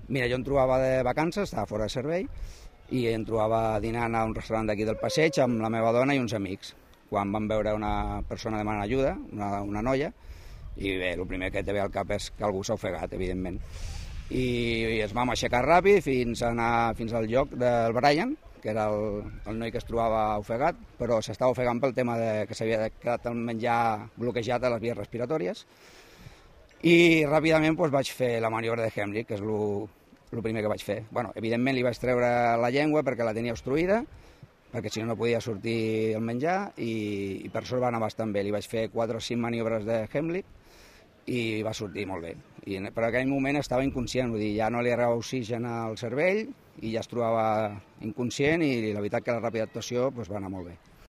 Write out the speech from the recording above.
Mira, jo em trobava de vacances, estava fora de servei, i em trobava dinant a un restaurant d'aquí del Passeig amb la meva dona i uns amics. Quan vam veure una persona demanant ajuda, una noia, i bé, el primer que te ve al cap és que algú s'ha ofegat, evidentment. I ens vam aixecar ràpid fins al lloc del Brian, que era el noi que es trobava ofegat, però s'estava ofegant pel tema que s'havia quedat el menjar bloquejat a les vies respiratòries. I ràpidament vaig fer la maniobra de Heimlich, que és el primer que vaig fer. Bueno, evidentment li vaig treure la llengua perquè la tenia obstruïda, perquè si no podia sortir el menjar, i per sort va anar bastant bé. Li vaig fer 4 o 5 maniobres de Heimlich i va sortir molt bé. Però en aquell moment estava inconscient, vull dir, ja no li arribava oxigen al cervell i ja es trobava inconscient, i la veritat que la ràpida actuació va anar molt bé.